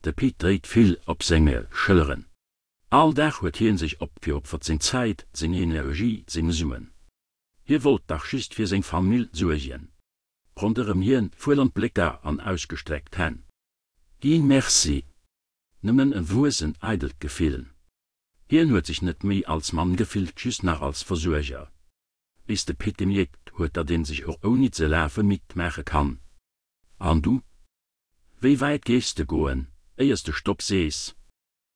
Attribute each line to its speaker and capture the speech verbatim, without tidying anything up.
Speaker 1: De Pit dréit vill op senge Schëlleren. All Dag huet hien sech opgeopfert, seng Zäit, seng Energie, seng Suen. Hie wollt dach just fir seng Famill suergen. Ronderëm hien verluer Blécker an ausgestreckt Hänn. Keen Merci. Nëmmen en wuessen eidelt Gefill. Hien huet sech net méi als Mann gefillt, just nach als Versuerger. Bis de Pit gemierkt huet, datt een sech och ouni ze lafe midd maache kann. An du? Wéi wäit géifs de goen, éiers de Stopp sees?